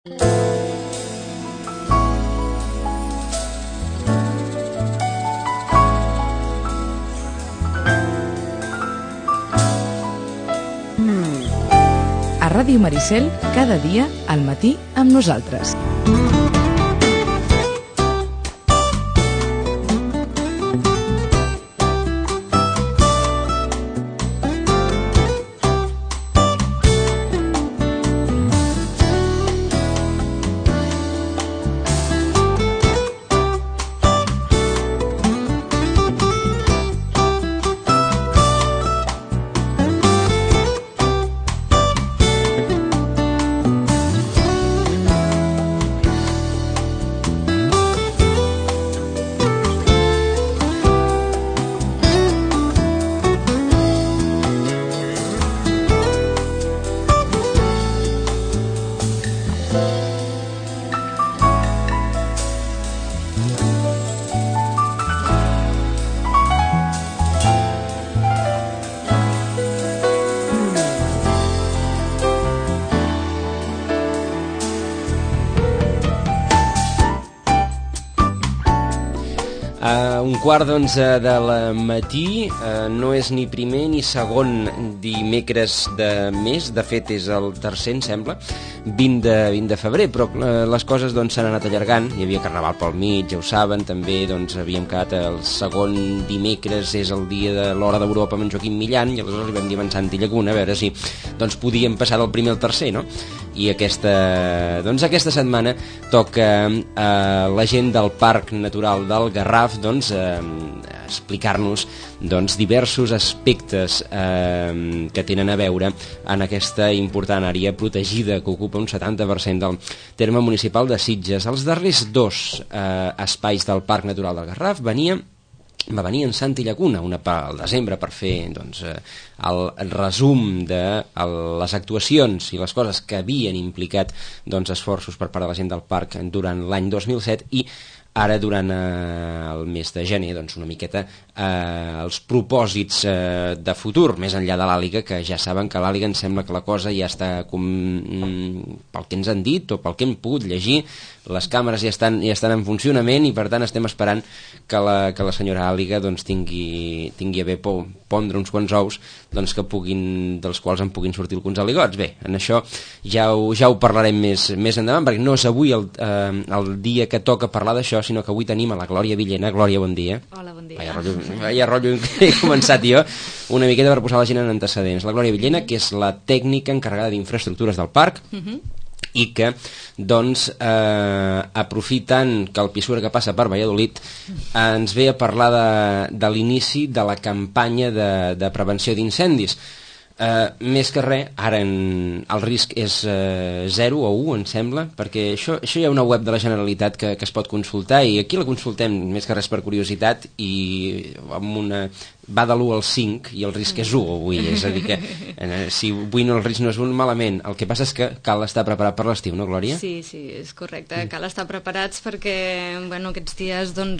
A Ràdio Maricel, cada dia al matí amb nosaltres. Un quart d'11 del matí, no és ni primer ni segon dimecres de mes, de fet és el tercer, em sembla, 20 de febrer, però les coses s'han anat allargant, hi havia Carnaval pel mig, ja ho saben, també havíem quedat el segon dimecres, és el dia de l'Hora d'Europa amb en Joaquim Millan, i aleshores li vam dir a en Santi Llacuna, a veure si podíem passar del primer al tercer, no? I aquesta setmana toca la gent del Parc Natural del Garraf explicar-nos diversos aspectes que tenen a veure en aquesta important àrea protegida que ocupa un 70% del terme municipal de Sitges. Els darrers dos espais del Parc Natural del Garraf va venir en Santi Llacuna, una al desembre, per fer el resum de les actuacions i les coses que havien implicat esforços per part de la gent del parc durant l'any 2007, i ara durant el mes de gener una miqueta els propòsits de futur, més enllà de l'Àliga, que ja saben que a l'Àliga em sembla que la cosa ja està pel que ens han dit o pel que hem pogut llegir, les càmeres ja estan en funcionament, i per tant estem esperant que la senyora Àliga tingui a bé pondre uns quants ous dels quals en puguin sortir alguns aligots. Bé, en això ja ho parlarem més endavant, perquè no és avui el dia que toca parlar d'això, sinó que avui tenim a la Glòria Villena. Glòria, bon dia. Hola, bon dia. Vaya rotllo que he començat jo, una miqueta per posar la gent en antecedents. La Glòria Villena, que és la tècnica encarregada d'infraestructures del parc, i que aprofitant que el Pisuerga que passa per Valladolid ens ve a parlar de l'inici de la campanya de prevenció d'incendis. Més que res, ara el risc és 0 o 1, em sembla, perquè això hi ha una web de la Generalitat que es pot consultar, i aquí la consultem més que res per curiositat, i va de l'1 al 5 i el risc és 1 avui, és a dir que si avui el risc no és 1, malament. El que passa és que cal estar preparat per l'estiu, no, Glòria? Sí, és correcte, cal estar preparats perquè aquests dies el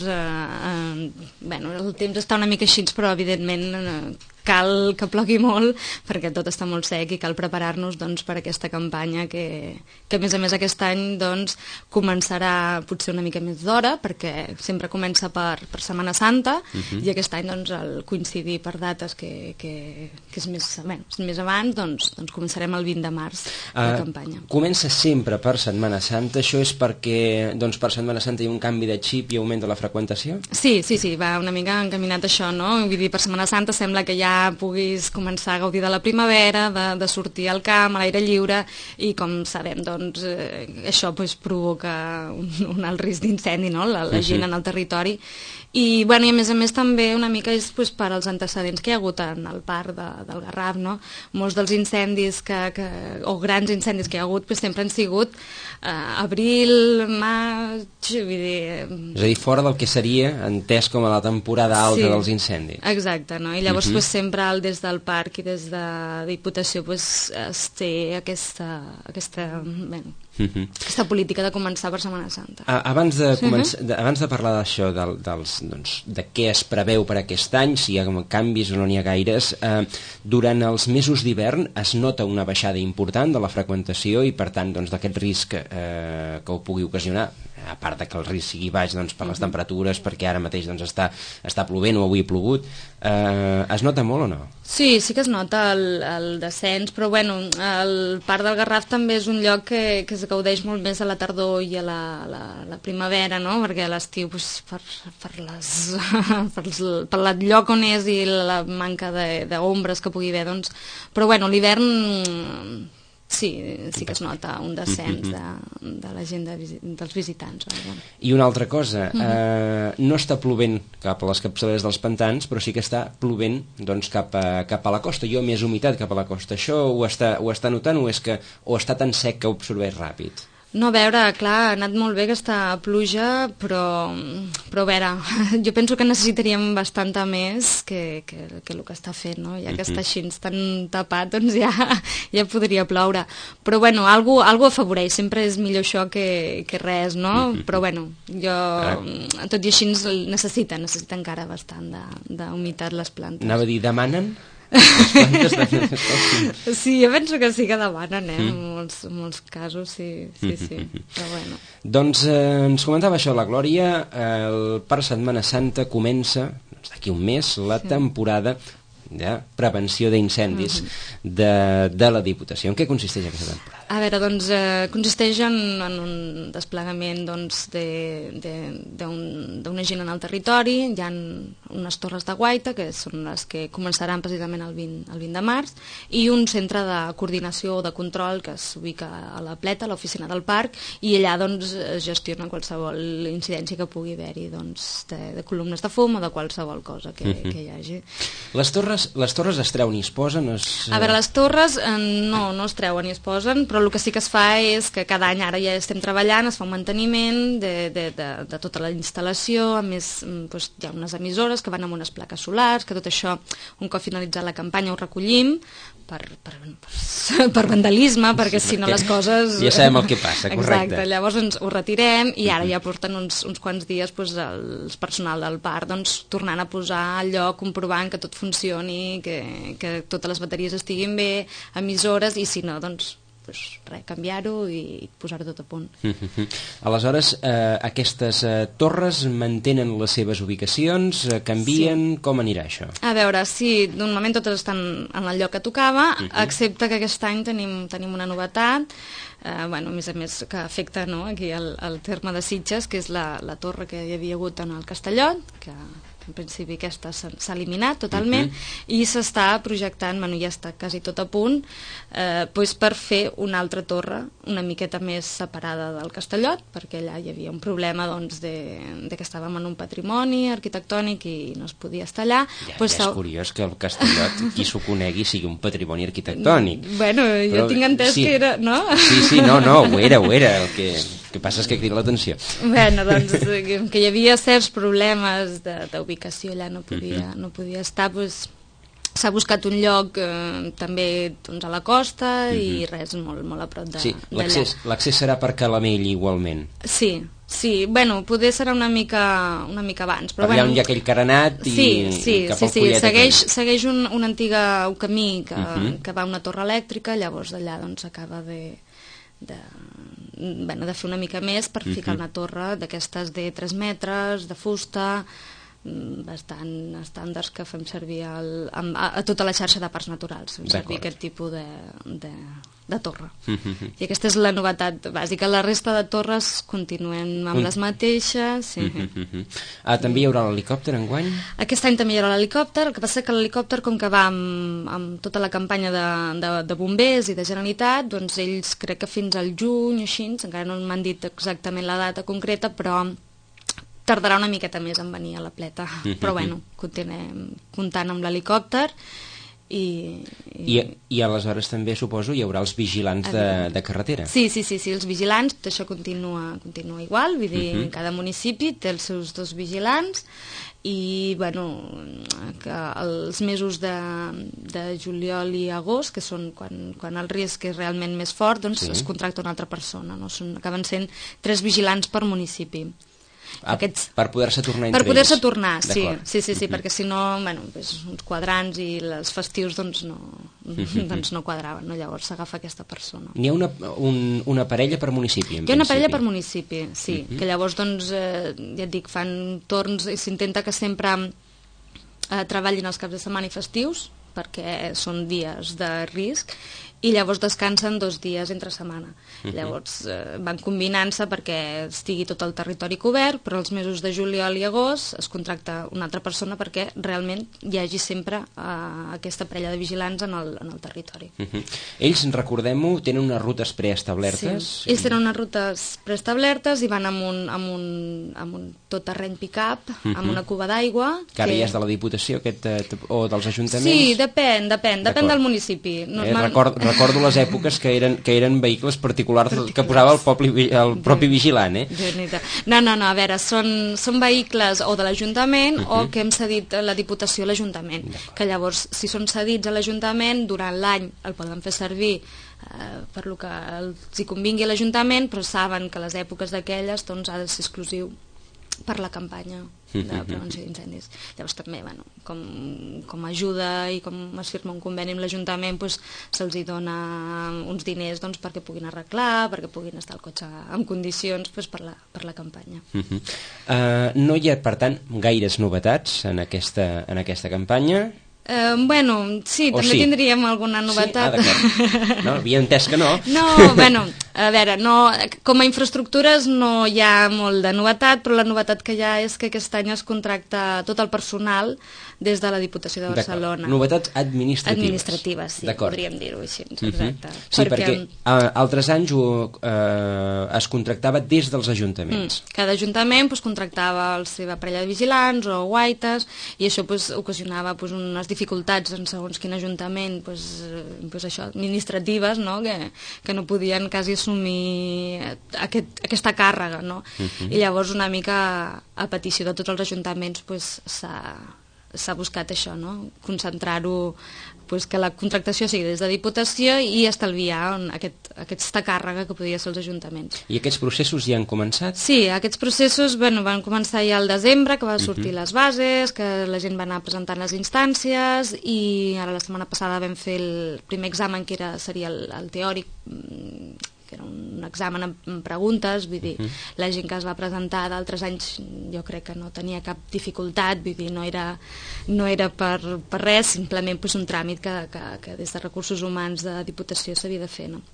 temps està una mica així, però evidentment cal que plogui molt perquè tot està molt sec, i cal preparar-nos per aquesta campanya que a més aquest any començarà potser una mica més d'hora, perquè sempre comença per Setmana Santa, i aquest any al coincidir per dates que és més abans, començarem el 20 de març la campanya. Comença sempre per Setmana Santa. Això és perquè per Setmana Santa hi ha un canvi de xip i augmenta la freqüentació? Sí, va una mica encaminat això, no? Vull dir, per Setmana Santa sembla que ja puguis començar a gaudir de la primavera, de sortir al camp, a l'aire lliure, i com sabem, això provoca un alt risc d'incendi, no? La gent en el territori. I a més també una mica és per als antecedents que hi ha hagut en el parc del Garraf, no? Molts dels incendis o grans incendis que hi ha hagut sempre han sigut abril, maig, vull dir... És a dir, fora del que seria entès com a la temporada alta dels incendis. Exacte, no? I llavors sempre des del parc i des de Diputació es té aquesta aquesta política de començar per Setmana Santa. Abans de parlar d'això, de què es preveu per aquest any, si hi ha canvis o no n'hi ha gaires, durant els mesos d'hivern es nota una baixada important de la freqüentació i, per tant, d'aquest risc que ho pugui ocasionar, a part de que el risc sigui baix per les temperatures, perquè ara mateix està plovent o avui ha plogut, es nota molt o no? Sí que es nota el descens, però el Parc del Garraf també és un lloc que es gaudeix molt més a la tardor i a la primavera, no? Perquè a l'estiu per el lloc on és i la manca d'ombres que pugui haver, però l'hivern sí que es nota un descens de la gent dels visitants. I una altra cosa, no està plovent cap a les capçaleres dels pantans, però sí que està plovent cap a la costa. Jo més humitat cap a la costa. Això ho està notant o està tan sec que ho absorbeix ràpid? No, a veure, clar, ha anat molt bé aquesta pluja, però a veure, jo penso que necessitaríem bastanta més que el que està fent, no? Ja que està així tan tapat, ja podria ploure. Però algo afavoreix, sempre és millor això que res, no? Però jo, tot i així necessita encara bastant d'humitat les plantes. Anava a dir, demanen? Sí, jo penso que sí que demanen, en molts casos, sí. Però Doncs ens comentava això la Glòria, per Setmana Santa comença, d'aquí un mes, la temporada de prevenció d'incendis de la Diputació. En què consisteix aquesta temporada? A veure, consisteix en un desplegament d'una gent en el territori. Hi ha unes torres de guaita, que són les que començaran precisament el 20 de març, i un centre de coordinació o de control que s'ubica a la Pleta, a l'oficina del parc, i allà es gestiona qualsevol incidència que pugui haver-hi, de columnes de fum o de qualsevol cosa que hi hagi. Les torres es treuen i es posen? A veure, les torres no es treuen i es posen, però el que sí que es fa és que cada any ara ja estem treballant, es fa un manteniment de tota la instal·lació, a més hi ha unes emissores que van amb unes plaques solars, que tot això, un cop finalitzat la campanya, ho recollim per vandalisme, perquè si no les coses... Ja sabem el que passa, correcte. Exacte, llavors ho retirem i ara ja porten uns quants dies el personal del parc tornant a posar al lloc, comprovant que tot funcioni, que totes les bateries estiguin bé, emissores, i si no, canviar-ho i posar-ho tot a punt. Aleshores, aquestes torres mantenen les seves ubicacions, canvien, com anirà això? A veure, sí, normalment totes estan en el lloc que tocava, excepte que aquest any tenim una novetat, a més a més que afecta aquí el terme de Sitges, que és la torre que hi havia hagut en el Castellot, que en principi aquesta s'ha eliminat totalment, i s'està projectant, ja està quasi tot a punt, per fer una altra torre una miqueta més separada del Castellot, perquè allà hi havia un problema de que estàvem en un patrimoni arquitectònic i no es podia estar allà. Ja és curiós que el Castellot, qui s'ho conegui, sigui un patrimoni arquitectònic. Jo tinc entès que era, no? Sí, no, ho era. El que passa és que crida l'atenció. Que hi havia certs problemes d'ubicació allà, no podia estar, s'ha buscat un lloc també a la costa i res, molt a prop d'allà. Sí, l'accés serà per Calamell igualment. Sí, poder serà una mica abans. Però allà on hi ha aquell carenat i cap al Collet. Segueix un antic camí que va a una torre elèctrica, llavors d'allà acaba de fer una mica més per ficar una torre d'aquestes de 3 metres, de fusta, bastant estàndards que fem servir a tota la xarxa de parcs naturals, fem servir aquest tipus de torre. I aquesta és la novetat bàsica. La resta de torres continuen amb les mateixes. També hi haurà l'helicòpter enguany? Aquest any també hi haurà l'helicòpter, el que passa que l'helicòpter, com que va amb tota la campanya de bombers i de Generalitat, ells crec que fins al juny, així, encara no m'han dit exactament la data concreta, però tardarà una miqueta més en venir a la Pleta. Però continuem comptant amb l'helicòpter I aleshores també, suposo, hi haurà els vigilants de carretera. Sí, els vigilants, tot això continua igual, vull dir, cada municipi té els seus 2 vigilants i, bueno, que els mesos de juliol i agost, que són quan el risc és realment més fort, doncs es contracta una altra persona, no? Acaben sent 3 vigilants per municipi. Per poder-se tornar entre ells. Per poder-se tornar, sí, perquè si no, bueno, uns quadrants i els festius doncs no quadraven, no? Llavors s'agafa aquesta persona. N'hi ha una parella per municipi, en principi. Hi ha una parella per municipi, sí, que llavors, doncs, ja et dic, fan torns i s'intenta que sempre treballin els caps de setmana i festius, perquè són dies de risc, i llavors descansen 2 dies entre setmana. Llavors van combinant-se perquè estigui tot el territori cobert, però els mesos de juliol i agost es contracta una altra persona perquè realment hi hagi sempre aquesta parella de vigilants en el territori. Ells, recordem-ho, tenen unes rutes preestablertes? Sí, ells tenen unes rutes preestablertes i van amb un tot terreny pick-up, amb una cuba d'aigua. Que ara ja és de la Diputació o dels ajuntaments? Sí, depèn del municipi. Recordo les èpoques que eren vehicles particulars que posava el propi vigilant, No, a veure, són vehicles o de l'Ajuntament o que hem cedit la Diputació a l'Ajuntament, que llavors, si són cedits a l'Ajuntament, durant l'any el poden fer servir per lo que els hi convingui a l'Ajuntament, però saben que les èpoques d'aquelles doncs, ha de ser exclusiu per la campanya de prevenció d'incendis. Llavors també, bueno, com ajuda i com es firma un conveni amb l'Ajuntament, doncs, se'ls hi dona uns diners doncs, perquè puguin arreglar, perquè puguin estar el cotxe en condicions doncs, per la campanya. No hi ha, per tant, gaires novetats en aquesta campanya? Bueno, sí, també tindríem alguna novetat. No, havia entès que no. No, bueno, a veure, com a infraestructures no hi ha molt de novetat, però la novetat que hi ha és que aquest any es contracta tot el personal des de la Diputació de Barcelona. Novetats administratives. Administratives, sí, podríem dir-ho així, exacte. Sí, perquè altres anys es contractava des dels ajuntaments. Cada ajuntament contractava la seva parella de vigilants o guaites i això ocasionava unes dificultats en segons quin ajuntament administratives, que no podien quasi assumir aquesta càrrega, no? I llavors una mica a petició de tots els ajuntaments s'ha buscat això, concentrar-ho, que la contractació sigui des de Diputació i estalviar aquesta càrrega que podia ser els ajuntaments. I aquests processos ja han començat? Sí, aquests processos van començar ja al desembre, que va sortir les bases, que la gent va anar presentant les instàncies i ara la setmana passada vam fer el primer examen que seria el teòric, que era un examen amb preguntes, vull dir, la gent que es va presentar d'altres anys jo crec que no tenia cap dificultat, vull dir, no era per res, simplement un tràmit que des de Recursos Humans de Diputació s'havia de fer, no?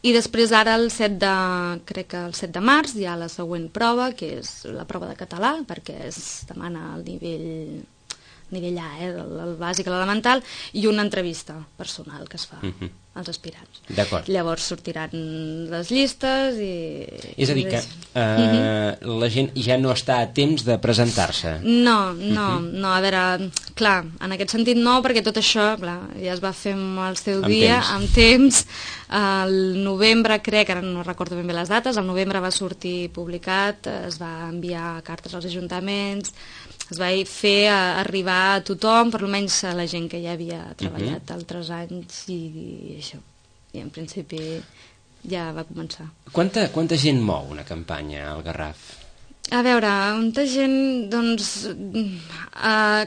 I després ara crec que el 7 de març hi ha la següent prova, que és la prova de català, perquè es demana el nivell A, el bàsic, l'elemental, i una entrevista personal que es fa als aspirants. D'acord. Llavors sortiran les llistes i... És a dir, que la gent ja no està a temps de presentar-se. No, a veure, clar, en aquest sentit no, perquè tot això, clar, ja es va fer el seu dia, amb temps. El novembre, crec, ara no recordo ben bé les dates, el novembre va sortir publicat, es va enviar cartes als ajuntaments, es va fer arribar a tothom, per almenys a la gent que ja havia treballat altres anys i això. I en principi ja va començar. Quanta gent mou una campanya al Garraf? A veure, molta gent, doncs,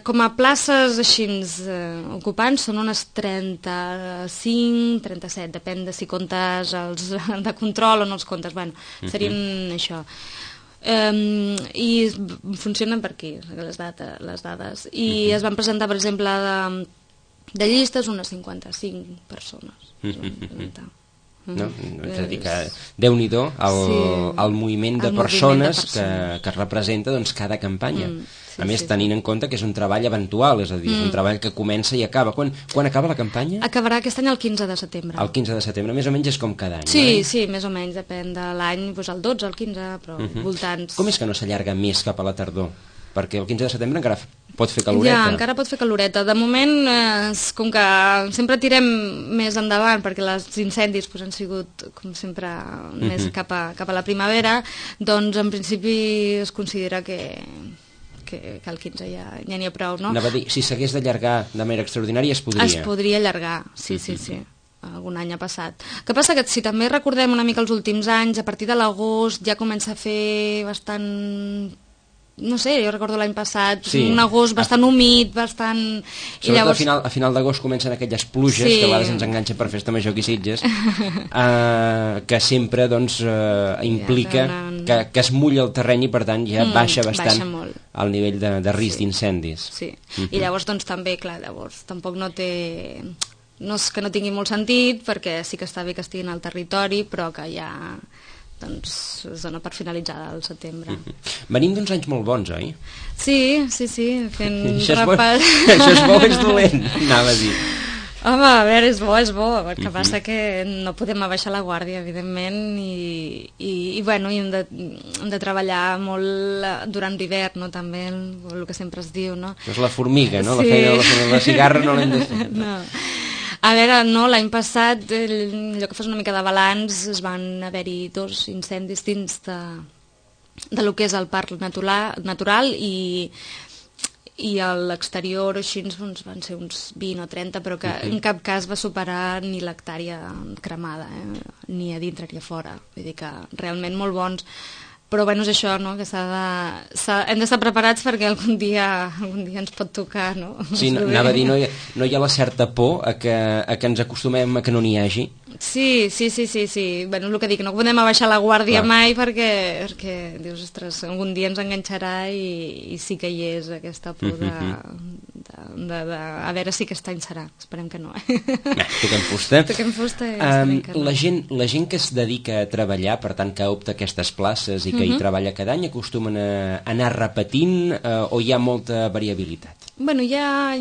com a places així ocupants són unes 35, 37, depèn de si comptes els de control o no els comptes, bueno, serien això. I funcionen per aquí les dades i es van presentar, per exemple, de llistes unes 55 persones. No? És a dir, que Déu-n'hi-do el moviment de persones que es representa cada campanya. A més, tenint en compte que és un treball eventual, és a dir, és un treball que comença i acaba. Quan acaba la campanya? Acabarà aquest any el 15 de setembre. El 15 de setembre, més o menys és com cada any, Sí, més o menys, depèn de l'any, el 12, el 15, però voltants... Com és que no s'allarga més cap a la tardor? perquè el 15 de setembre encara pot fer caloreta. Ja, encara pot fer caloreta. De moment, com que sempre tirem més endavant, perquè els incendis han sigut, com sempre, més cap a la primavera, doncs en principi es considera que el 15 ja n'hi ha prou, no? Anava a dir, si s'hagués d'allargar de manera extraordinària, es podria. Es podria allargar, sí. Algun any ha passat. El que passa que si també recordem una mica els últims anys, a partir de l'agost ja comença a fer bastant... No sé, jo recordo l'any passat, un agost bastant humit, bastant... Sobretot llavors... a final d'agost comencen aquelles pluges que a vegades ens enganxen per festa major aquí Sitges, que sempre doncs, implica que es mulla el terreny i per tant ja baixa bastant el nivell de risc d'incendis. Sí, i llavors doncs també, clar, llavors tampoc no té... No és que no tingui molt sentit, perquè sí que està bé que estiguin al territori, però que ja... doncs es dona per finalitzada al setembre. Venim d'uns anys molt bons, oi? Sí, fent repàs... Això és bo o és dolent, anava a dir. Home, a veure, és bo. El que passa que no podem abaixar la guàrdia, evidentment, i bueno, hem de treballar molt durant l'hivern, no? També el que sempre es diu, no? És la formiga, no? La feina de la cigarra no l'hem de fer. No. A veure, no, l'any passat, allò que fas una mica de balanç, es van haver-hi 2 incendis dins de lo que és el parc natural i a l'exterior així doncs, van ser uns 20 o 30, però que en cap cas va superar ni l'hectàrea cremada, ni a dintre ni a fora. Vull dir que realment molt bons. Però bueno, és això, no? Que hem d'estar preparats perquè algun dia ens pot tocar, no? Sí, anava a dir, no hi ha la certa por a que ens acostumem a que no n'hi hagi? Sí. Bueno, el que dic, no podem abaixar la guàrdia mai perquè dius, ostres, algun dia ens enganxarà i sí que hi és aquesta por a veure si aquest any serà. Esperem que no, Toquem fusta. La gent que es dedica a treballar, per tant que opta aquestes places i que hi treballa cada any, acostumen a anar repetint o hi ha molta variabilitat? Bueno, hi ha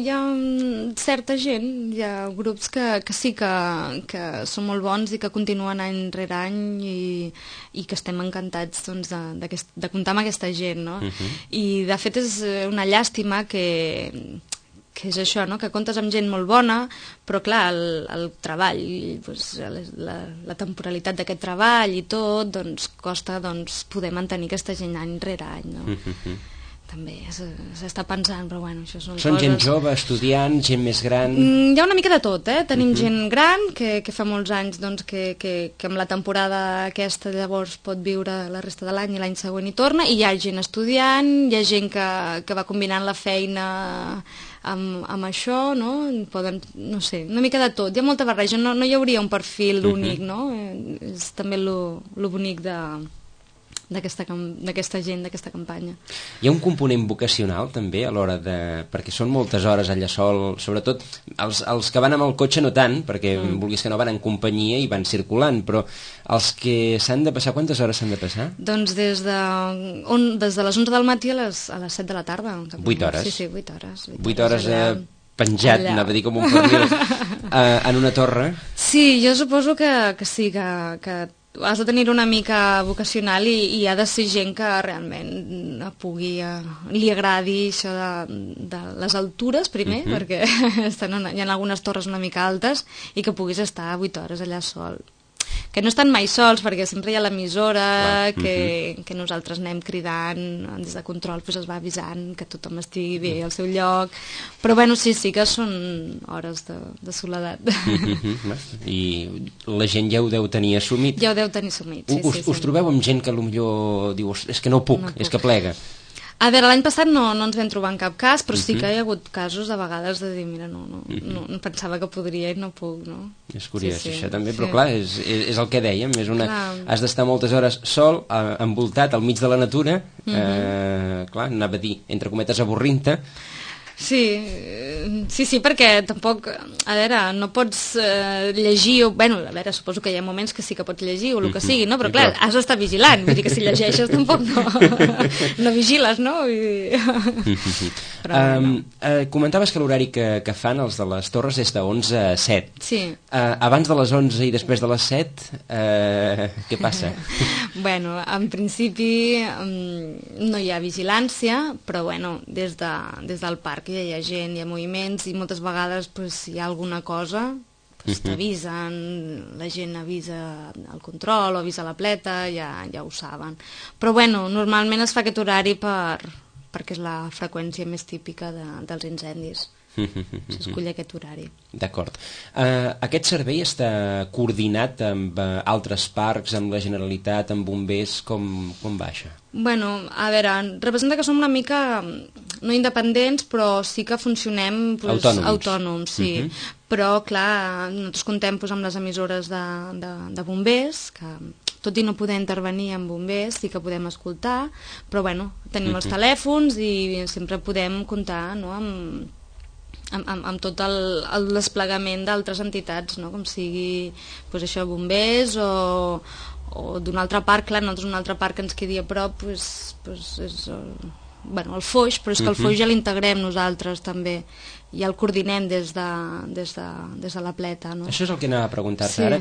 certa gent, hi ha grups que sí que són molt bons i que continuen any rere any i que estem encantats doncs, de comptar amb aquesta gent, no? I de fet és una llàstima que és això, no? Que comptes amb gent molt bona, però clar, el treball, doncs, la temporalitat d'aquest treball i tot, doncs costa poder mantenir aquesta gent any rere any, no? També s'està pensant, però bueno, això són coses... gent jove, estudiant, gent més gran... Hi ha una mica de tot, Tenim gent gran, que fa molts anys doncs, que amb la temporada aquesta llavors pot viure la resta de l'any i l'any següent hi torna, i hi ha gent estudiant, hi ha gent que va combinant la feina amb això, no? Poden, no sé, una mica de tot. Hi ha molta barreja, no hi hauria un perfil únic, no? És també lo bonic d'aquesta gent, d'aquesta campanya. Hi ha un component vocacional també a l'hora de... perquè són moltes hores allà sol, sobretot els que van amb el cotxe no tant, perquè vulguis que no van en companyia i van circulant, però els que s'han de passar, quantes hores s'han de passar? Doncs des de les 11 del matí a les 7 de la tarda. 8 hores? Sí, 8 hores. 8 hores penjat, anava a dir com un pernil, en una torre? Sí, jo suposo que sí, que has de tenir una mica vocacional i ha de ser gent que realment li agradi això de les altures primer, perquè hi ha algunes torres una mica altes i que puguis estar 8 hores allà sol. Que no estan mai sols, perquè sempre hi ha l'emissora, que nosaltres anem cridant, des de control es va avisant que tothom estigui bé al seu lloc, però bueno, sí que són hores de soledat. I la gent ja ho deu tenir assumit. Ja ho deu tenir assumit, sí. Us trobeu amb gent que potser diu, és que no puc, és que plega? A veure, l'any passat no ens vam trobar en cap cas, però sí que hi ha hagut casos a vegades de dir, mira, no pensava que podria i no puc, no? És curiós, això també, però clar, és el que dèiem, has d'estar moltes hores sol, envoltat al mig de la natura, clar, anava a dir, entre cometes, avorrint-te. Sí, perquè tampoc, a veure, no pots llegir, bueno, a veure, suposo que hi ha moments que sí que pots llegir o el que sigui, no? Però clar, has d'estar vigilant, vull dir que si llegeixes tampoc no vigiles, no? Comentaves que l'horari que fan els de les torres és de 11 a 7. Sí. Abans de les 11 i després de les 7, què passa? Bueno, en principi no hi ha vigilància, però bueno, des del parc hi ha gent, hi ha moviments i moltes vegades si hi ha alguna cosa t'avisen, la gent avisa el control o avisa la pleta, ja ho saben. Però bueno, normalment es fa aquest horari perquè és la freqüència més típica dels incendis. S'escull aquest horari. D'acord. Aquest servei està coordinat amb altres parcs, amb la Generalitat, amb bombers, com va això? Bueno, a veure, representa que som una mica no independents, però sí que funcionem autònoms, sí. Però, clar, nosaltres contem amb les emissores de bombers, que tot i no poder intervenir amb bombers, sí que podem escoltar, però bueno, tenim els telèfons i sempre podem comptar, no?, amb tot el desplegament d'altres entitats, no? Com sigui això, bombers o d'un altre parc. Clar, nosaltres un altre parc que ens quedi a prop és el Foix, però és que el Foix ja l'integrem nosaltres també, ja el coordinem des de la pleta, no? Això és el que anava a preguntar-te ara.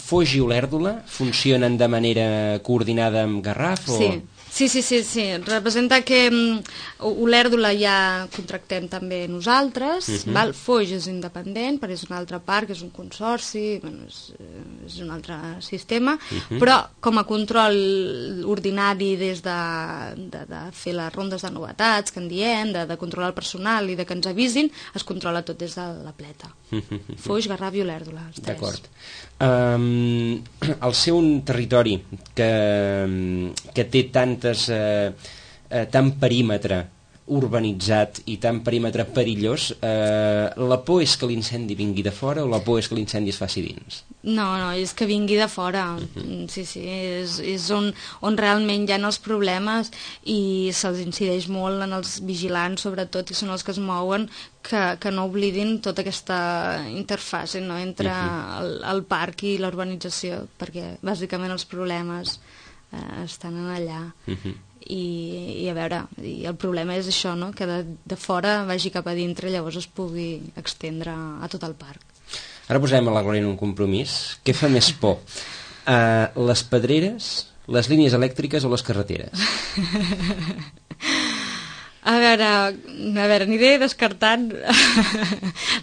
Foix i Olèrdola funcionen de manera coordinada amb Garraf? Sí, representa que Olèrdola ja contractem també nosaltres, Foix és independent, però és un altre parc, és un consorci, és un altre sistema, però com a control ordinari des de fer les rondes de novetats que en diem, de controlar el personal i de que ens avisin, es controla tot des de la pleta. Foix, Garraf i Olèrdola, els tres. D'acord. Al ser un territori que té tant perímetre urbanitzat i tant perímetre perillós, la por és que l'incendi vingui de fora o la por és que l'incendi es faci dins? No, és que vingui de fora. Sí, és on realment hi ha els problemes i se'ls incideix molt en els vigilants, sobretot, i són els que es mouen, que no oblidin tota aquesta interfase, no?, entre el parc i l'urbanització, perquè bàsicament els problemes estan allà. I a veure, el problema és això, no?, que de fora vagi cap a dintre i llavors es pugui estendre a tot el parc. Ara posarem a la Glòria en un compromís. Què fa més por? Les pedreres, les línies elèctriques o les carreteres? A veure, aniré descartant.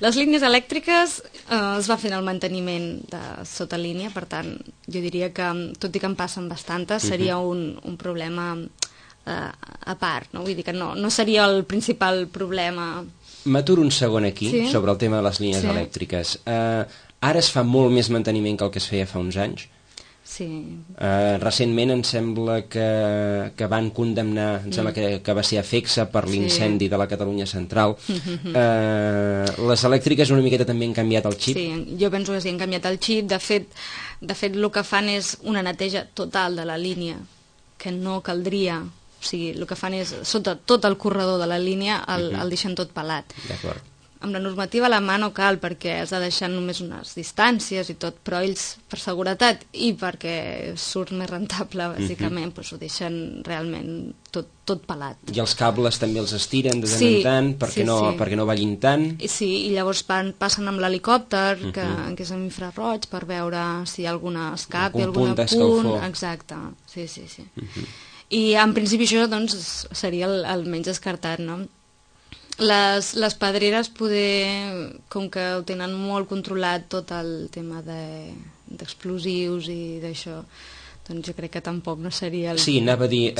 Les línies elèctriques es va fent el manteniment de sota línia, per tant, jo diria que, tot i que en passen bastantes, seria un problema a part, no? Vull dir que no seria el principal problema. M'aturo un segon aquí, sobre el tema de les línies elèctriques. Ara es fa molt més manteniment que el que es feia fa uns anys. Sí. Recentment em sembla que van condemnar, em sembla que va ser a Fexa per l'incendi de la Catalunya Central. Les elèctriques una miqueta també han canviat el xip? Sí, jo penso que sí, han canviat el xip. De fet el que fan és una neteja total de la línia, que no caldria. O sigui, el que fan és, sota tot el corredor de la línia, el deixen tot pelat. D'acord. Amb la normativa a la mà no cal, perquè has de deixar només unes distàncies i tot, però ells, per seguretat i perquè surt més rentable, bàsicament, doncs ho deixen realment tot pelat. I els cables també els estiren de tant en tant perquè no ballin tant? Sí, i llavors passen amb l'helicòpter, que és amb infraroig, per veure si hi ha alguna escape, algun punt. Exacte, sí. I en principi això seria el menys descartat, no? Les pedreres, com que ho tenen molt controlat tot el tema d'explosius i d'això, doncs jo crec que tampoc no seria Sí, anava a dir,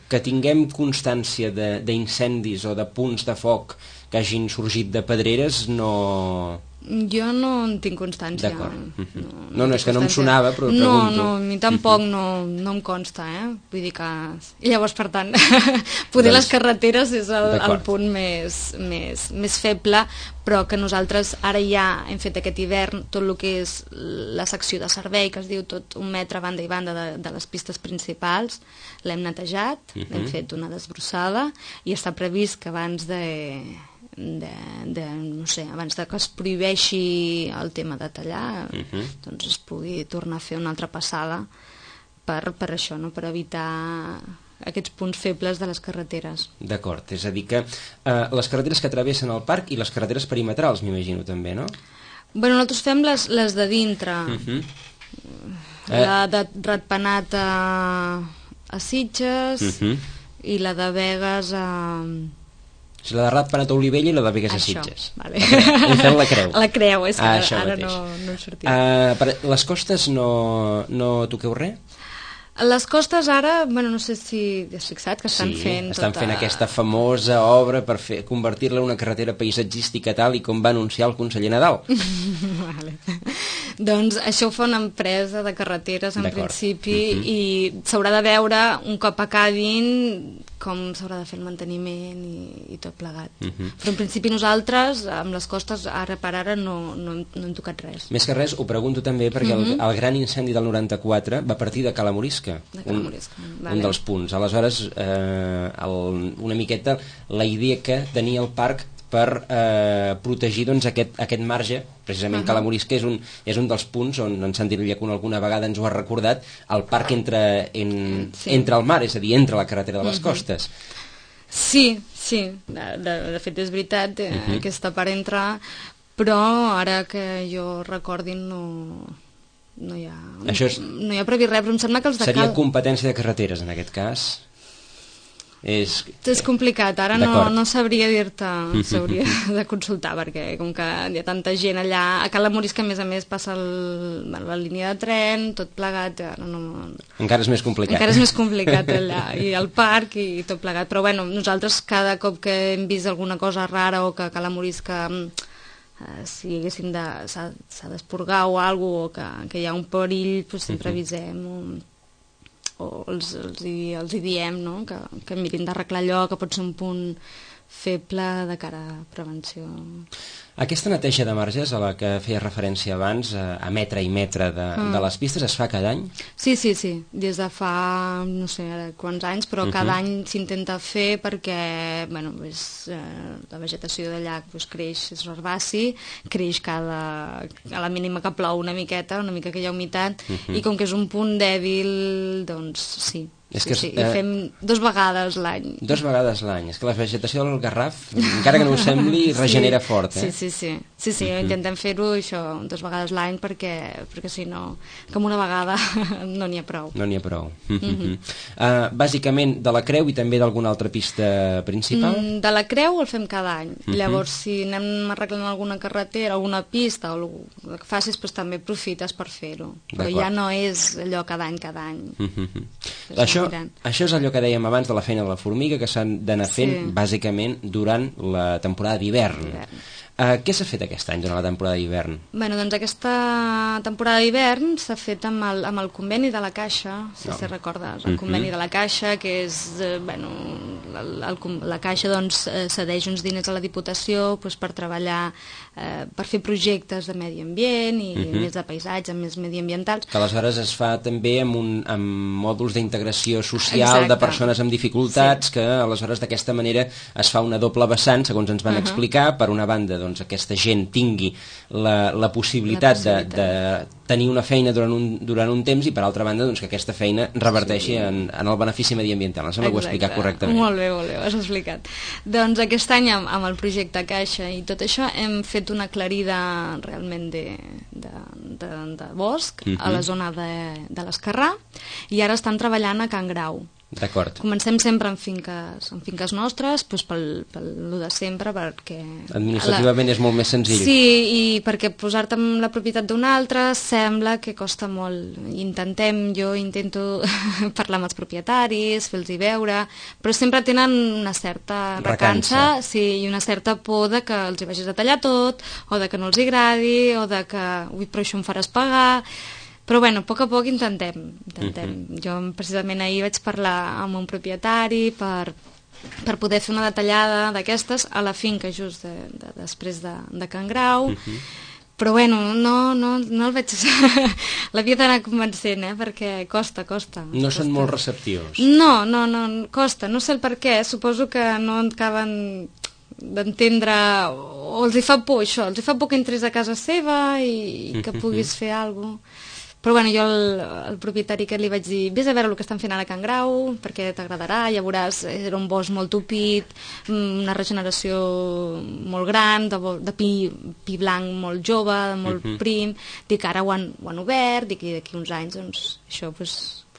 que tinguem constància d'incendis o de punts de foc que hagin sorgit de pedreres no Jo no en tinc constància. D'acord. No, és que no em sonava, però pregunto. No, a mi tampoc no em consta, Vull dir que... I llavors, per tant, poder les carreteres és el punt més feble, però que nosaltres ara ja hem fet aquest hivern tot el que és la secció de servei, que es diu tot 1 metre a banda i banda de les pistes principals, l'hem netejat, hem fet una desbrossada i està previst que abans abans que es prohibeixi el tema de tallar, doncs es pugui tornar a fer una altra passada per això, no? Per evitar aquests punts febles de les carreteres. D'acord, és a dir que les carreteres que travessen el parc i les carreteres perimetrals, m'imagino també, no? Bueno, nosaltres fem les de dintre, la de Ratpenat a Sitges i la de Begues a... La de Ratpenat a Olivella i la de Begues a Sitges. Vale. Hem fet la creu. La creu, és que ara no em sortia. Les costes no toqueu res? Les costes ara, no sé si has fixat que estan fent... estan fent aquesta famosa obra per convertir-la en una carretera paisatgística tal i com va anunciar el conseller Nadal. Vale. Doncs això ho fa una empresa de carreteres en principi i s'haurà de veure un cop acabin com s'haurà de fer el manteniment i tot plegat. Però en principi nosaltres amb les costes ara per ara no hem tocat res. Més que res ho pregunto també perquè el gran incendi del 94 va partir de Cala Morisca, un dels punts. Aleshores una miqueta la idea que tenia el parc per protegir aquest marge, precisament Cala Morisca és un dels punts on en Santi Llacuna alguna vegada ens ho ha recordat, el parc entre el mar, és a dir, entre la carretera de les costes. Sí, de fet és veritat, aquesta part entra, però ara que jo recordi no hi ha previst res, però em sembla que els de Seria competència de carreteres en aquest cas? És complicat, ara no sabria dir-te, s'hauria de consultar perquè com que hi ha tanta gent allà a Cala Morisca, a més passa la línia de tren, tot plegat encara és més complicat allà, i el parc i tot plegat, però nosaltres cada cop que hem vist alguna cosa rara o que a Cala Morisca si s'ha d'esporgar o alguna cosa o que hi ha un perill, sempre avisem o els hi diem que mirin d'arreglar allò, que pot ser un punt feble de cara a prevenció. Aquesta neteja de marges a la que feia referència abans, a metre i metre de les pistes, es fa cada any? Sí, des de fa no sé quants anys, però cada any s'intenta fer perquè la vegetació d'allà creix, és herbaci, creix a la mínima que plou una mica que hi ha humitat, i com que és un punt dèbil, doncs sí. I fem 2 vegades l'any. 2 vegades l'any. És que la vegetació del Garraf, encara que no ho sembli, regenera fort. Sí, intentem fer-ho això 2 vegades l'any perquè si no, com una vegada no n'hi ha prou. Bàsicament de la Creu i també d'alguna altra pista principal? De la Creu el fem cada any. Llavors, si anem arreglant alguna carretera, alguna pista o el que facis, també aprofites per fer-ho. Però ja no és allò cada any. Això és allò que dèiem abans de la feina de la formiga, que s'han d'anar fent bàsicament durant la temporada d'hivern. Què s'ha fet aquest any durant la temporada d'hivern? Doncs aquesta temporada d'hivern s'ha fet amb el conveni de la Caixa, si recordes, el conveni de la Caixa, que és, la Caixa cedeix uns diners a la Diputació per treballar, per fer projectes de medi ambient i més de paisatge, més mediambientals. Que aleshores es fa també amb mòduls d'integració social de persones amb dificultats, que aleshores d'aquesta manera es fa una doble vessant, segons ens van explicar, per una banda aquesta gent tingui la possibilitat de tenir una feina durant un temps i per altra banda que aquesta feina reverteixi en el benefici mediambiental. Em sembla que ho he explicat correctament. Molt bé, ho has explicat. Doncs aquest any amb el projecte Caixa i tot això hem fet una aclarida realment de bosc a la zona de l'Esquerrà i ara estan treballant a Can Grau. D'acord. Comencem sempre en finques nostres, doncs pel lo de sempre, perquè... Administrativament és molt més senzill. Sí, i perquè posar-te en la propietat d'un altre sembla que costa molt. Jo intento parlar amb els propietaris, fer-los veure, però sempre tenen una certa recança, sí, i una certa por de que els hi vagis a tallar tot, o de que no els agradi, o de que, però això em faràs pagar... Però bueno, a poc intentem. Jo precisament ahir vaig parlar amb un propietari per poder fer una detallada d'aquestes a la finca just després de Can Grau, però bueno, no el veig... L'havia d'anar convencent, perquè costa. No són molt receptius. No, costa, no sé el per què, suposo que no acaben d'entendre, o els hi fa por això, els hi fa por que entris a casa seva i que puguis fer alguna cosa. Però bueno, jo al propietari que li vaig dir vés a veure el que estan fent ara a Can Grau perquè t'agradarà, ja veuràs, era un bosc molt tupit, una regeneració molt gran, de pi blanc molt jove, molt prim, dic ara ho han obert, dic i d'aquí uns anys doncs això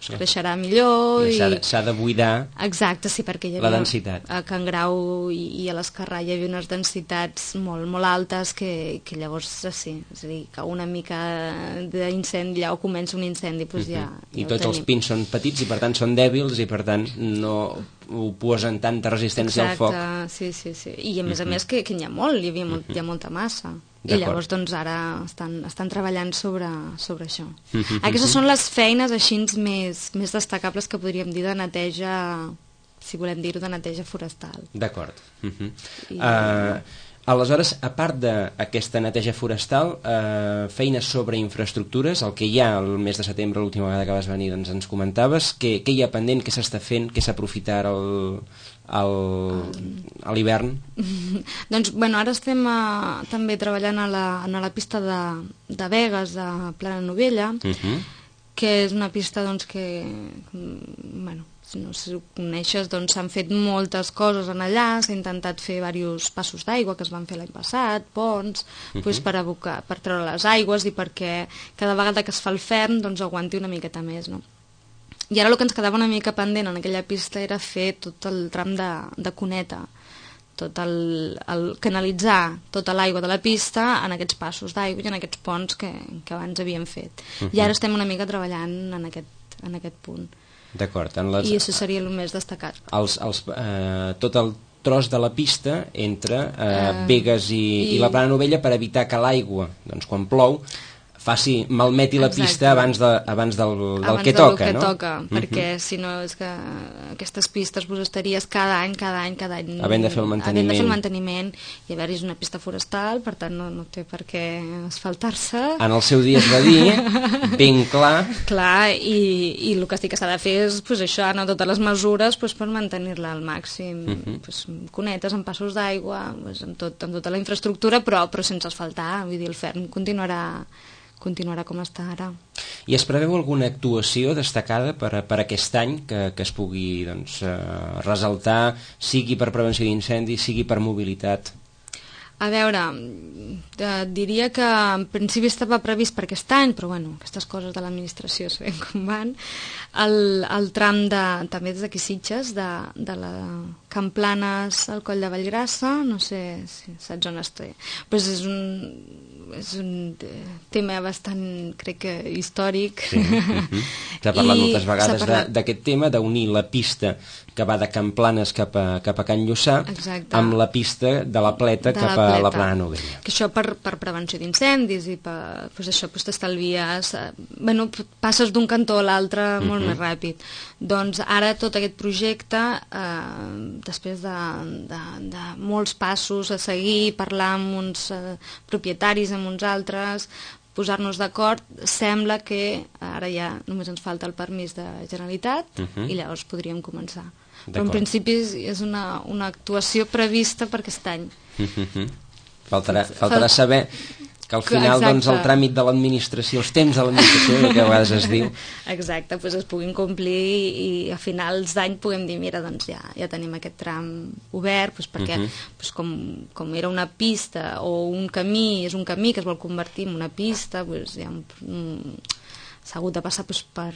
creixerà millor s'ha de buidar. Exacte, sí, perquè hi havia la densitat. A Can Grau i a l'Escarrà hi havia unes densitats molt altes que llavors sí, és a dir, que una mica d'incendi o comença un incendi doncs ja i tots els pins són petits i per tant són dèbils i per tant no oposen tanta resistència al foc. Exacte, sí. I a més que n'hi ha molt, hi ha molta massa. I llavors doncs ara estan treballant sobre això. Aquestes són les feines així més destacables que podríem dir de neteja, si volem dir-ho, de neteja forestal. D'acord. Aleshores, a part d'aquesta neteja forestal, feines sobre infraestructures, el que hi ha el mes de setembre, l'última vegada que vas venir doncs ens comentaves, què hi ha pendent, què s'està fent, què s'aprofitarà a l'hivern? Doncs, ara estem també treballant a la pista de Begues, de Plana Novella, que és una pista que, no sé si ho coneixes, doncs s'han fet moltes coses en allà, s'ha intentat fer diversos passos d'aigua que es van fer l'any passat, ponts, per treure les aigües i perquè cada vegada que es fa el ferm doncs aguanti una miqueta més, no? I ara el que ens quedava una mica pendent en aquella pista era fer tot el tram de cuneta, canalitzar tota l'aigua de la pista en aquests passos d'aigua i en aquests ponts que abans havíem fet. I ara estem una mica treballant en aquest punt. D'acord. I això seria el més destacat. Tot el tros de la pista entre Begues i la Plana Novella per evitar que l'aigua, doncs quan plou, malmeti la pista abans del que toca, no? Perquè si no és que aquestes pistes vos estaries cada any havent de fer el manteniment i haver-hi una pista forestal, per tant no té per què asfaltar-se. En el seu dia es va dir ben clar i el que sí que s'ha de fer és això, anar totes les mesures per mantenir-la al màxim, cunetes amb passos d'aigua, amb tota la infraestructura, però sense asfaltar, vull dir, el ferm continuarà com està ara. I es preveu alguna actuació destacada per aquest any que es pugui ressaltar, sigui per prevenció d'incendis, sigui per mobilitat? A veure, diria que en principi estava previst per aquest any, però aquestes coses de l'administració sabem com van. El tram també des d'aquí Sitges, de la Can Planes al Coll de Vallgrassa, no sé si saps on estic, però és un tema bastant, crec que històric. S'ha parlat moltes vegades d'aquest tema, d'unir la pista que va de Can Planes cap a Can Lluçà amb la pista de la Pleta cap a la Plana Novella. Que això per prevenció d'incendis i t'estalvies, passes d'un cantó a l'altre molt més ràpid. Doncs ara tot aquest projecte, després de molts passos a seguir, parlar amb uns propietaris, amb uns altres, posar-nos d'acord, sembla que ara ja només ens falta el permís de Generalitat i llavors podríem començar. Però en principi és una actuació prevista per aquest any. Faltarà saber que al final doncs, el tràmit de l'administració, els temps de l'administració, que a vegades es diu. Exacte, es puguin complir i a finals d'any puguem dir, mira, doncs ja tenim aquest tram obert, perquè com era una pista o un camí, és un camí que es vol convertir en una pista, hi ha s'ha hagut de passar per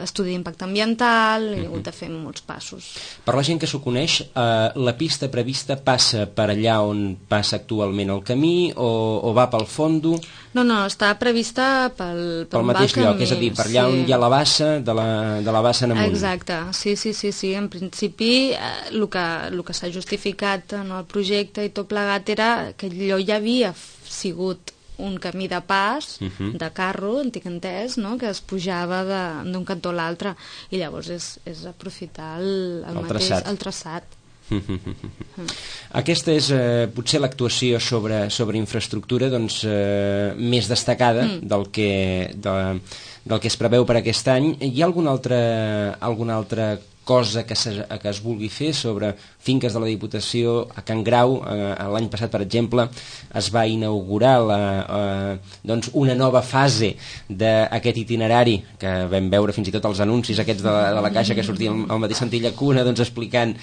estudi d'impacte ambiental, i ha hagut de fer molts passos. Per la gent que s'ho coneix, la pista prevista passa per allà on passa actualment el camí o va pel fondo? No, està prevista pel mateix lloc, camí, és a dir, per allà on hi ha la bassa, de la bassa en amunt. Exacte, sí. En principi, el que s'ha justificat en el projecte i tot plegat era que allò ja havia sigut un camí de pas, de carro, antic entès, no? Que es pujava d'un cantó a l'altre, i llavors és aprofitar el traçat. Aquesta és potser l'actuació sobre infraestructura més destacada del que es preveu per aquest any. Hi ha alguna altra cosa que es vulgui fer sobre finques de la Diputació? A Can Grau, l'any passat, per exemple, es va inaugurar una nova fase d'aquest itinerari, que vam veure fins i tot els anuncis aquests de la Caixa que sortien al mateix sentit llacuna, explicant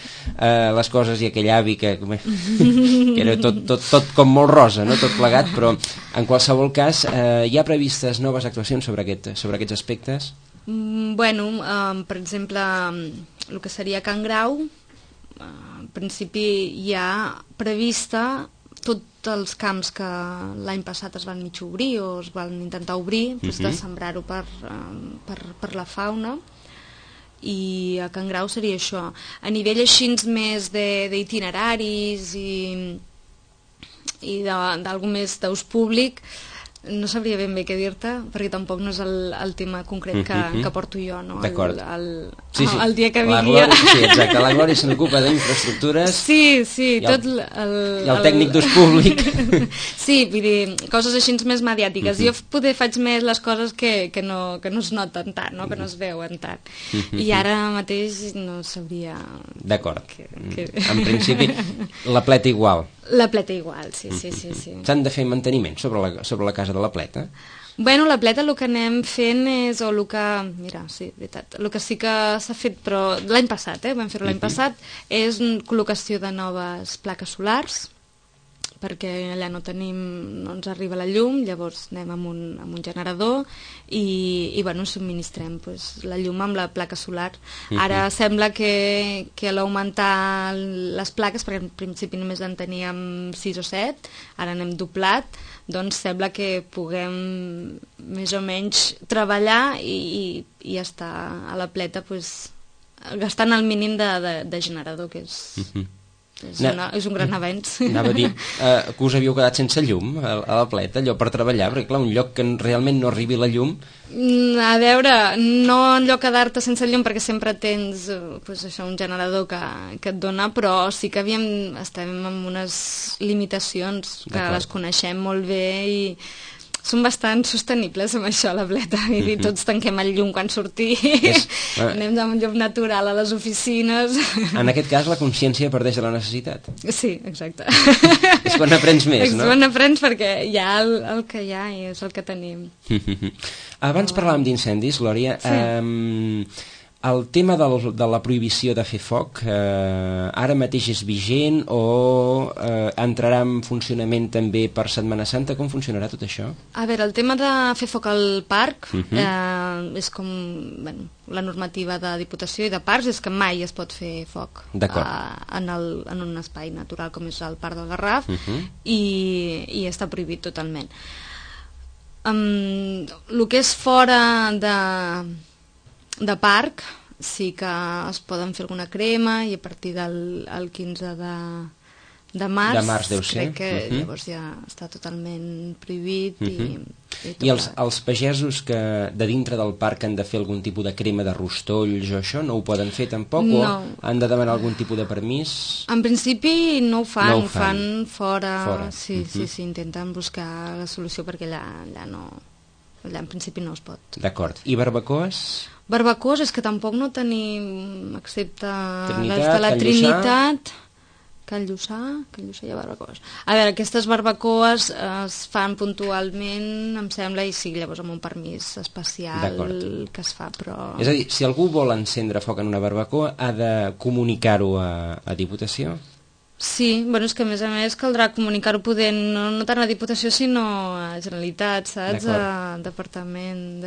les coses, i aquell avi que era tot com molt rosa, no? Tot plegat, però en qualsevol cas hi ha previstes noves actuacions sobre aquests aspectes? Per exemple, el que seria Can Grau, en principi hi ha prevista tots els camps que l'any passat es van mig obrir o es van intentar obrir, de sembrar-ho per la fauna, i a Can Grau seria això. A nivell així més d'itineraris i d'algú més d'ús públic, no sabria ben bé què dir-te, perquè tampoc no és el tema concret que porto jo, no? D'acord. El dia que vingui... Sí, exacte, la Glòria se n'ocupa d'infraestructures. Sí, tot i el tècnic d'ús públic. Sí, vull dir, coses així més mediàtiques. Jo poder faig més les coses que no es noten tant, no? Que no es veuen tant. I ara mateix no sabria... D'acord. En principi, la pleta igual. La pleta igual, sí. S'han de fer manteniment sobre la casa de la pleta? La pleta el que anem fent és, veritat, el que sí que s'ha fet, però l'any passat, vam fer-ho l'any passat, és col·locació de noves plaques solars, perquè allà no ens arriba la llum, llavors anem amb un generador i subministrem la llum amb la placa solar. Ara sembla que a l'augmentar les plaques, perquè en principi només en teníem 6 o 7, ara n'hem doblat, doncs sembla que puguem més o menys treballar i estar a la pleta gastant el mínim de generador, que és un gran avenç. Anava a dir que us havíeu quedat sense llum a la pleta, allò per treballar, perquè clar, un lloc que realment no arribi la llum... A veure, no allò quedar-te sense llum, perquè sempre tens un generador que et dona, però sí que estem amb unes limitacions que les coneixem molt bé i són bastant sostenibles amb això, la pleta. I tots tanquem el llum quan sortim, anem amb llum natural a les oficines. En aquest cas, la consciència parteix de la necessitat. Sí, exacte. És quan aprens més, no? És quan aprens perquè hi ha el que hi ha i és el que tenim. Abans parlàvem d'incendis, Glòria. Sí. El tema de la prohibició de fer foc ara mateix és vigent o entrarà en funcionament també per Setmana Santa? Com funcionarà tot això? A veure, el tema de fer foc al parc és com la normativa de Diputació i de parcs, és que mai es pot fer foc en un espai natural com és el Parc del Garraf i està prohibit totalment. El que és fora de parc sí que es poden fer alguna crema i a partir del 15 de març deu ser. Crec que llavors ja està totalment prohibit i els pagesos que de dintre del parc han de fer algun tipus de crema de rostolls o això no ho poden fer tampoc? No. O han de demanar algun tipus de permís? En principi no ho fan, ho fan fora. Sí, intenten buscar la solució perquè allà en principi no es pot. D'acord. I barbacoes? Barbacoes és que tampoc no tenim, excepte les de la Trinitat, Can Lluçà hi ha barbacoes. A veure, aquestes barbacoes es fan puntualment, em sembla, i sí, llavors amb un permís especial que es fa, però... És a dir, si algú vol encendre foc en una barbacoa, ha de comunicar-ho a Diputació? Sí, bueno, és que a més caldrà comunicar-ho poder no tant a Diputació sinó a Generalitat, saps? A Departament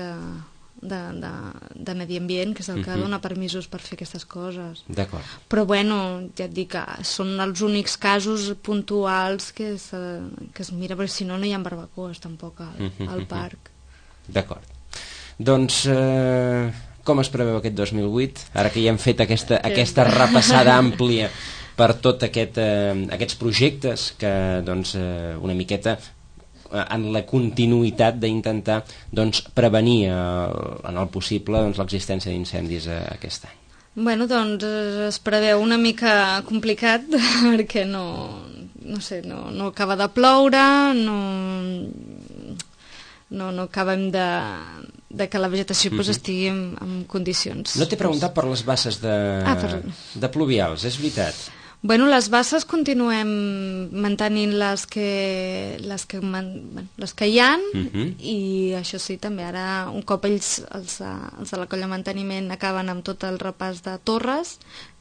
de Medi Ambient, que és el que dona permisos per fer aquestes coses. D'acord. Però bueno, ja et dic que són els únics casos puntuals que es mira, perquè si no hi ha barbacoes tampoc al parc. D'acord. Doncs com es preveu aquest 2008? Ara que ja hem fet aquesta repassada àmplia per tot aquests projectes que doncs, una miqueta en la continuïtat d'intentar doncs, prevenir en el possible doncs, l'existència d'incendis aquest any. Bueno, doncs es preveu una mica complicat perquè no acaba de ploure, no acabem de que la vegetació estigui en condicions. No t'he preguntat per les basses de pluvials, és veritat. Bueno, les basses continuem mantenint les que hi ha, i això sí, també ara un cop els de la colla de manteniment acaben amb tot el repàs de torres,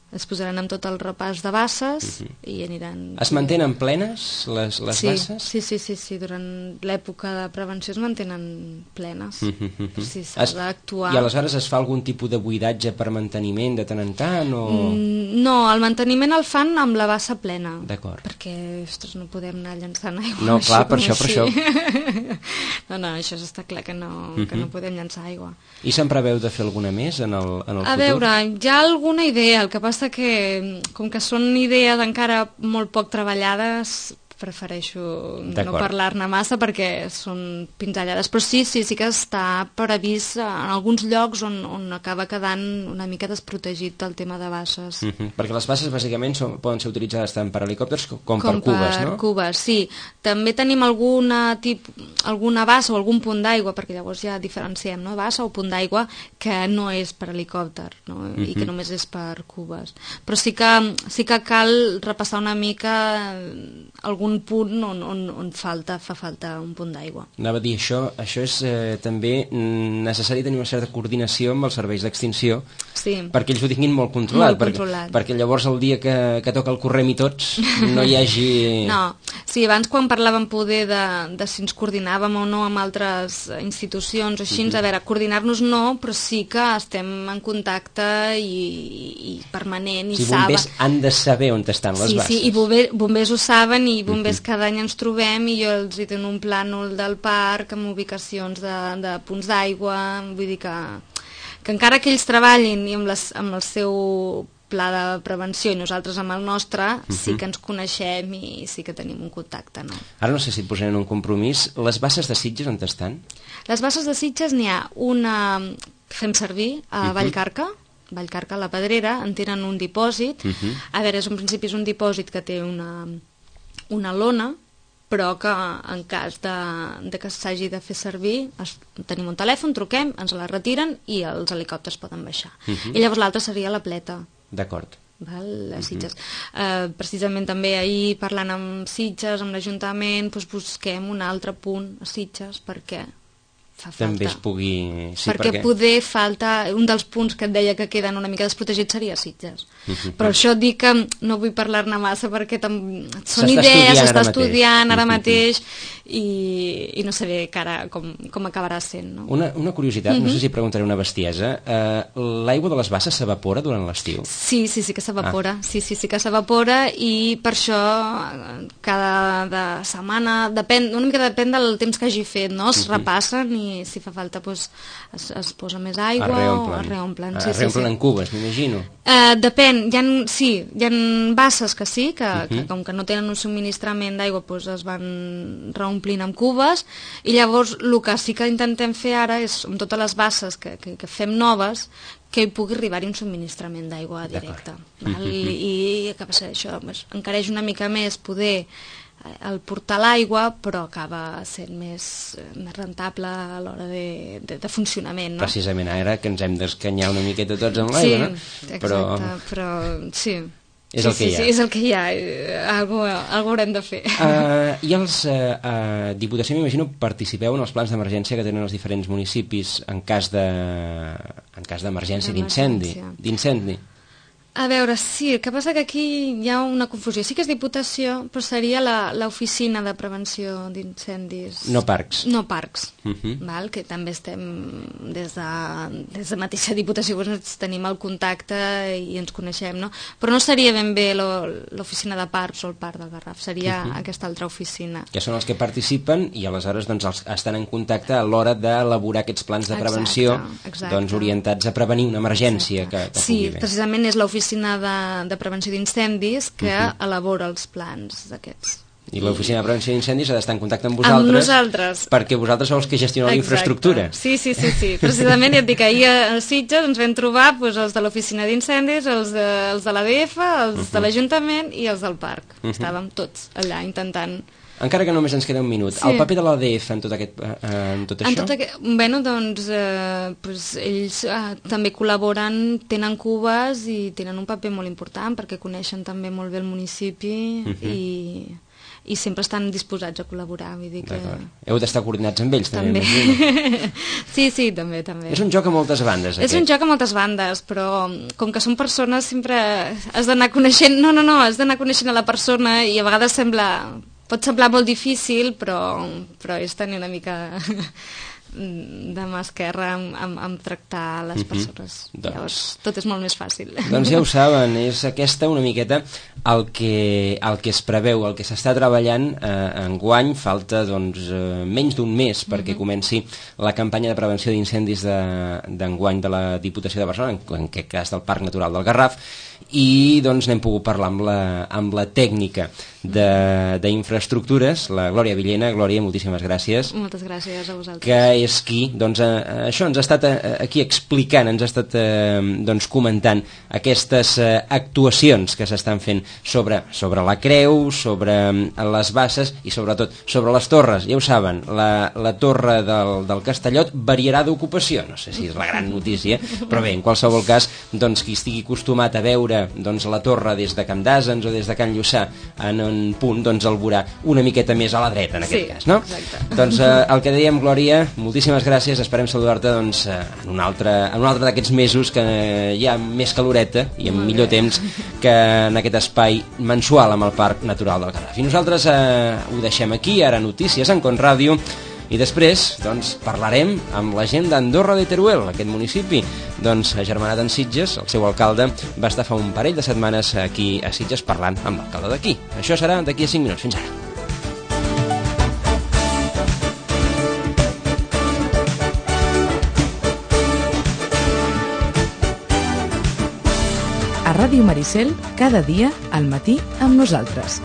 es posaran amb tot el repàs de basses i aniran... Es mantenen plenes les basses? Sí, durant l'època de prevenció es mantenen plenes. Sí, s'ha d'actuar. I aleshores es fa algun tipus de buidatge per manteniment de tant en tant? No, el manteniment el fan amb la bassa plena. D'acord. Perquè, ostres, no podem anar llançant aigua. No, clar, per això. No, això està clar que no podem llançar aigua. I se'n preveu de fer alguna més en el futur? A veure, hi ha alguna idea, el que passa que com que són idees encara molt poc treballades, prefereixo no parlar-ne massa perquè són pinzellades, però sí que està previst en alguns llocs on acaba quedant una mica desprotegit el tema de basses. Perquè les basses bàsicament poden ser utilitzades tant per helicòpters com per cubes, no? Com per cubes, sí. També tenim alguna bassa o algun punt d'aigua, perquè llavors ja diferenciem, no? Bassa o punt d'aigua que no és per helicòpter, no? I que només és per cubes. Però sí que cal repassar una mica algun punt on fa falta un punt d'aigua. Anava a dir, això és també necessari tenir una certa coordinació amb els serveis d'extinció, perquè ells ho tinguin molt controlat, perquè llavors el dia que toca el correm i tots no hi hagi... No, sí, abans quan parlàvem poder de si ens coordinàvem o no amb altres institucions o així, a veure, coordinar-nos no, però sí que estem en contacte i permanent i saben... Bombers han de saber on estan les basses. Sí, i bombers ho saben, i bombers cada any ens trobem i jo els dono un plànol del parc amb ubicacions de punts d'aigua, vull dir que encara que ells treballin i amb el seu pla de prevenció i nosaltres amb el nostre, sí que ens coneixem i sí que tenim un contacte, no? Ara no sé si et posaré en un compromís. Les basses de Sitges on estan? Les basses de Sitges n'hi ha una que fem servir a Vallcarca, a la Pedrera, en tenen un dipòsit. A veure, en principi és un dipòsit que té una lona, però que en cas de que s'hagi de fer servir tenim un telèfon, truquem, ens la retiren i els helicòpters poden baixar. I llavors l'altra seria la Pleta. D'acord. A Sitges. Precisament també ahir parlant amb Sitges, amb l'Ajuntament, busquem un altre punt a Sitges perquè fa falta. També es pugui... Sí, perquè poder falta... Un dels punts que et deia que queden una mica desprotegits seria Sitges. Però això et dic que no vull parlar-ne massa perquè són idees, s'està estudiant ara mateix i no sé bé com acabarà sent. No? Una curiositat, no sé si preguntaré una bestiesa. L'aigua de les basses s'evapora durant l'estiu? Sí que s'evapora. Sí que s'evapora i per això cada setmana, una mica depèn del temps que hagi fet, no? Es repassen i si fa falta es posa més aigua o es reomplen. Es reomplen en cubes, m'imagino. Depèn, hi ha basses que sí, que com que no tenen un subministrament d'aigua es van reomplint amb cubes, i llavors el que sí que intentem fer ara és, amb totes les basses que fem noves, que hi pugui arribar-hi un subministrament d'aigua directe. I que passa això, encareix una mica més poder el portar l'aigua, però acaba sent més rentable a l'hora de funcionament, no? Precisament ara que ens hem d'escanyar una miqueta tots amb l'aigua, no? Sí, exacte, però sí. És el que hi ha. Sí, és el que hi ha. Algo haurem de fer. I els Diputació, m'imagino, participeu en els plans d'emergència que tenen els diferents municipis en cas d'emergència, d'incendi. A veure, sí, el que passa que aquí hi ha una confusió. Sí que és Diputació, però seria l'Oficina de Prevenció d'Incendis. No parcs. No parcs, val? Que també estem des de mateixa Diputació, doncs tenim el contacte i ens coneixem, no? Però no seria ben bé l'Oficina de Parcs o el Parc del Garraf, seria aquesta altra oficina. Que són els que participen i aleshores doncs, estan en contacte a l'hora d'elaborar aquests plans de prevenció doncs, orientats a prevenir una emergència que pugui haver. Sí, precisament és l'Oficina de Prevenció d'Incendis que elabora els plans d'aquests. I l'Oficina de Prevenció d'Incendis ha d'estar en contacte amb vosaltres. Amb nosaltres. Perquè vosaltres sou els que gestioneu la infraestructura. Sí. Precisament, ja et dic, ahir a Sitges ens vam trobar els de l'Oficina d'Incendis, els de l'ADF, els de l'Ajuntament i els del parc. Estàvem tots allà intentant... Encara que només ens queda un minut, el paper de l'ADF en tot això? Bueno, doncs, ells també col·laboren, tenen cubes i tenen un paper molt important perquè coneixen també molt bé el municipi i sempre estan disposats a col·laborar. Vull dir que... Heu d'estar coordinats amb ells, també. Sí, també. És un joc a moltes bandes, aquest. És un joc a moltes bandes, però com que són persones sempre has d'anar coneixent... No, has d'anar coneixent a la persona i a vegades pot semblar molt difícil, però és tenir una mica de mà esquerra amb tractar les persones. Llavors, tot és molt més fàcil. Doncs ja ho saben, és aquesta una miqueta el que es preveu, el que s'està treballant enguany. Falta menys d'un mes perquè comenci la campanya de prevenció d'incendis d'enguany de la Diputació de Barcelona, en aquest cas del Parc Natural del Garraf, i doncs n'hem pogut parlar amb la tècnica d'infraestructures, la Glòria Villena. Glòria, moltíssimes gràcies. Moltes gràcies a vosaltres. Que és qui, això ens ha estat aquí explicant, ens ha estat comentant aquestes actuacions que s'estan fent sobre la creu, sobre les basses i sobretot sobre les torres. Ja ho saben, la torre del Castellot variarà d'ocupació, no sé si és la gran notícia, però bé, en qualsevol cas, doncs qui estigui acostumat a veure la torre des de Camp d'Àsens o des de Can Lluçà en un punt, doncs el veurà una miqueta més a la dreta en aquest cas, no? Exacte. Doncs el que dèiem, Glòria, moltíssimes gràcies, esperem saludar-te en un altre d'aquests mesos que hi ha més caloreta i amb millor temps que en aquest espai mensual amb el Parc Natural del Garraf. I nosaltres ho deixem aquí, ara notícies en Con Ràdio, i després parlarem amb la gent d'Andorra de Teruel, aquest municipi agermanat en Sitges. El seu alcalde va estar fa un parell de setmanes aquí a Sitges parlant amb l'alcalde d'aquí. Això serà d'aquí a 5 minuts. Fins ara. A Ràdio Maricel, cada dia al matí amb nosaltres.